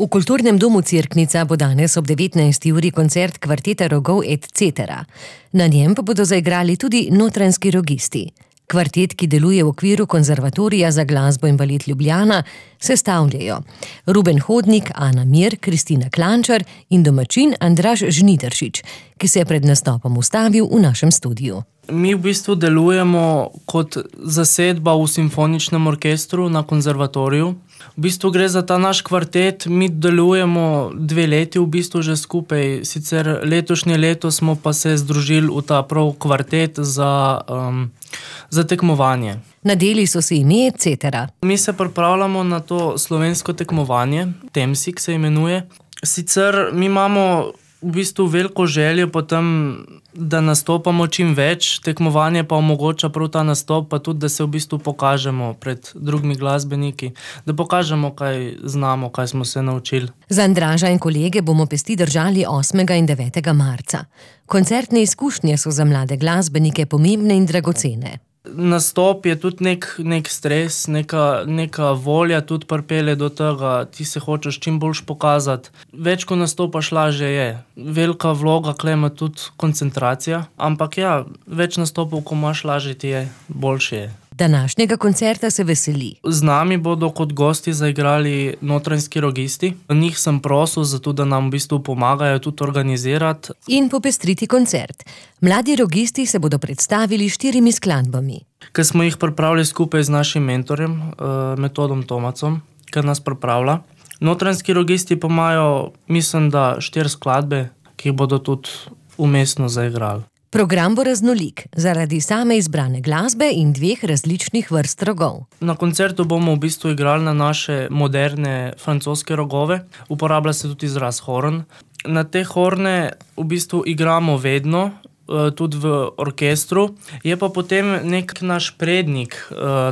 V Kulturnem domu Cerknica bo danes ob 19. uri koncert kvarteta Rogov et cetera. Na njem pa bodo zaigrali tudi Notranjski rogisti. Kvartet, ki deluje v okviru Konzervatorija za glasbo in balet Ljubljana, sestavljajo Ruben Hodnik, Ana Mir, Kristina Klančar in domačin Andraž Žnidaršič, ki se je pred nastopom ustavil v našem studiu. Mi v bistvu delujemo kot zasedba v simfoničnem orkestru na konzervatoriju. V bistvu gre za ta naš kvartet, mi delujemo 2 leti v bistvu že skupaj, sicer letošnje leto smo pa se združili v ta prav kvartet za tekmovanje. Nadeli so si ime et cetera. Mi se pripravljamo na to slovensko tekmovanje, Temsik se imenuje. Sicer mi imamo v bistvu veliko željo potem, da nastopamo čim več, tekmovanje pa omogoča prav ta nastop, pa tudi, da se v bistvu pokažemo pred drugimi glasbeniki, da pokažemo, kaj znamo, kaj smo se naučili. Za Andraža in kolege bomo pesti držali 8. in 9. marca. Koncertne izkušnje so za mlade glasbenike pomembne in dragocene. Nastop je tudi nek stres, neka volja tudi pripelje do tega, ti se hočeš čim boljš pokazati. Več ko nastopaš, lažje je. Velika vloga kle ima tudi koncentracija, ampak ja, več nastopov, ko imaš, lažje ti je, boljše je. Današnjega koncerta se veseli. Z nami bodo kot gosti zaigrali Notranjski rogisti. Njih sem prosil, zato da nam v bistvu pomagajo tudi organizirati. In popestriti koncert. Mladi rogisti se bodo predstavili 4 skladbami. Ker smo jih pripravili skupaj z našim mentorjem, Metodom Tomacom, ki nas pripravlja. Notranjski rogisti pa imajo, mislim, da 4 skladbe, ki jih bodo tudi umestno zaigrali. Program bo raznolik, zaradi same izbrane glasbe in 2 različnih vrst rogov. Na koncertu bomo v bistvu igrali na naše moderne francoske rogove. Uporablja se tudi izraz horn. Na te horne v bistvu igramo vedno, tudi v orkestru. Je pa potem nek naš prednik,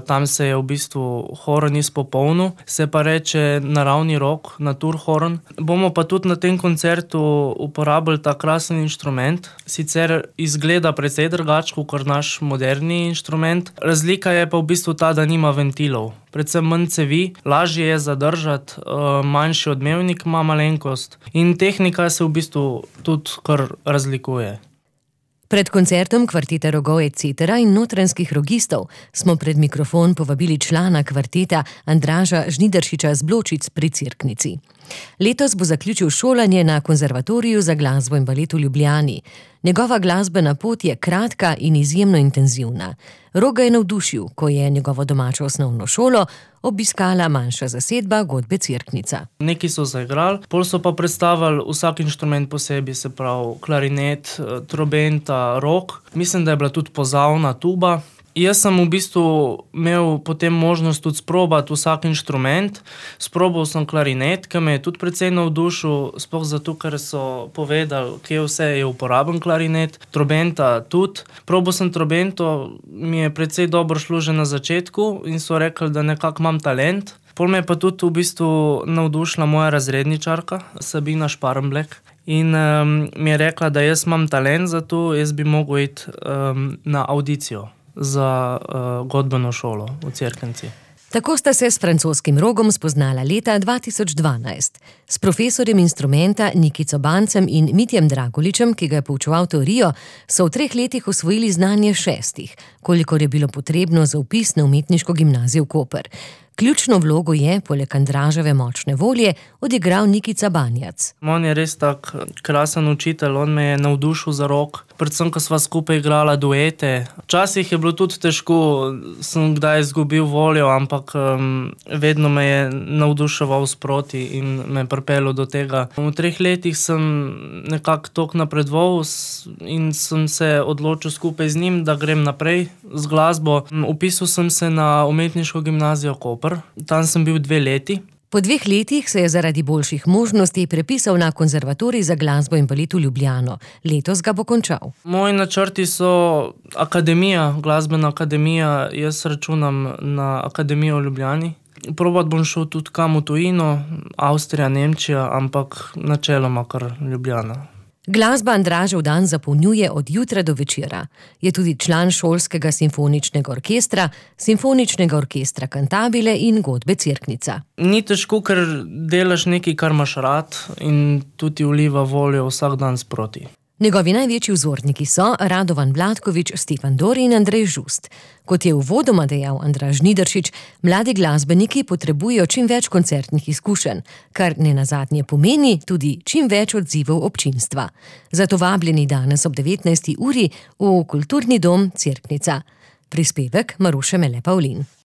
tam se je v bistvu horn izpopolnil, se pa reče naravni rog, naturhorn. Bomo pa tudi na tem koncertu uporabili ta krasen inštrument. Sicer izgleda precej drugače kot naš moderni inštrument. Razlika je pa v bistvu ta, da nima ventilov. Predvsem manj cevi, lažje je zadržati, manjši odmevnik ima malenkost in tehnika se v bistvu tudi kar razlikuje. Pred koncertom kvarteta Rogov et cetera in Notranjskih rogistov smo pred mikrofon povabili člana kvarteta Andraža Žnidaršiča z Bločic pri Cerknici. Letos bo zaključil šolanje na Konzervatoriju za glasbo in balet v Ljubljani. Njegova glasbena pot je kratka in izjemno intenzivna. Roga je navdušil, ko je njegovo domačo osnovno šolo obiskala manjša zasedba godbe Cerknica. Neki so zaigrali, pol so pa predstavili vsak inštrument posebej, se pravi klarinet, trobenta, rog. Mislim, da je bila tudi pozavna, tuba. Jaz sem v bistvu imel potem možnost tudi sprobati vsak inštrument. Sprobal sem klarinet, ki me je tudi precej navdušil, sploh zato, ker so povedali, kje vse je uporaben klarinet. Trobenta tudi. Probal sem trobento, mi je precej dobro šlo že na začetku in so rekli, da nekako imam talent. Pol me je pa tudi v bistvu navdušila moja razredničarka, Sabina Šparmblek. In mi je rekla, da jaz imam talent za to, jaz bi mogel iti na audicijo za godbeno šolo v Cerknici. Tako sta se s francoskim rogom spoznala leta 2012. S profesorjem instrumenta Nikico Bancem in Mitjem Dragoličem, ki ga je poučeval teorijo, so v 3 letih osvojili znanje 6, kolikor je bilo potrebno za vpis na umetniško gimnazijo v Koper. Ključno vlogo je, poleg Andraževe močne volje, odigral Nikica Banjac. On je res tak krasen učitelj, on me je navdušil za rog. Predvsem, ko sva skupaj igrala duete. Včasih je bilo tudi težko, sem kdaj izgubil voljo, ampak vedno me je navduševal sproti in me pripeljal do tega. V 3 letih sem nekako toliko napredoval in sem se odločil skupaj z njim, da grem naprej z glasbo. Vpisal sem se na umetniško gimnazijo Koper. Tam sem bil 2 leti. Po 2 letih se je zaradi boljših možnosti prepisal na Konzervatorij za glasbo in balet v Ljubljano. Letos ga bo končal. Moji načrti so akademija, glasbena akademija. Jaz računam na akademijo v Ljubljani. Probati bom šel tudi kam v tujino, Avstrija, Nemčija, ampak načeloma kar Ljubljana. Glasba Andražev dan zapolnjuje od jutra do večera. Je tudi član šolskega simfoničnega orkestra, simfoničnega orkestra Cantabile in godbe Cerknica. Ni težko, ker delaš nekaj, kar imaš rad in tudi vliva voljo vsak dan sproti. Njegovi največji vzorniki so Radovan Blatkovič, Stefan Dori in Andrej Žust. Kot je uvodoma dejal Andraž Žnidaršič, mladi glasbeniki potrebujejo čim več koncertnih izkušenj, kar nenazadnje pomeni tudi čim več odzivov občinstva. Zato vabljeni danes ob 19. uri v Kulturni dom Cerknica. Prispevek Maruše Mele Pavlin.